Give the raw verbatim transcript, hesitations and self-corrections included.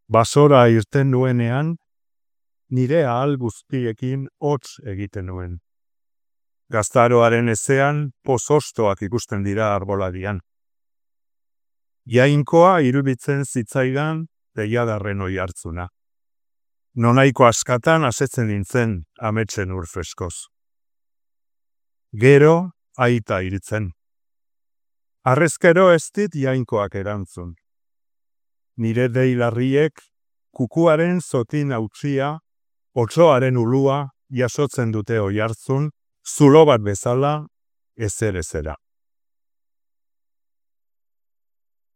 Basora irten nuenean, nire ahal guztiekin hotz egiten nuen. Gaztaroaren ezean pozostoak ikusten dira arboladian. Jainkoa iruditzen zitzaidan deiadarren oihartzuna. Nonaiko askatan asetzen nintzen ametsen ur freskoz. Gero aita iritzen. Harrezkero ez dit jainkoak erantzun. Nire deilarriek kukuaren zotin hautzia, otsoaren ulua jasotzen dute oihartzun, zulo bat bezala ezer ezera.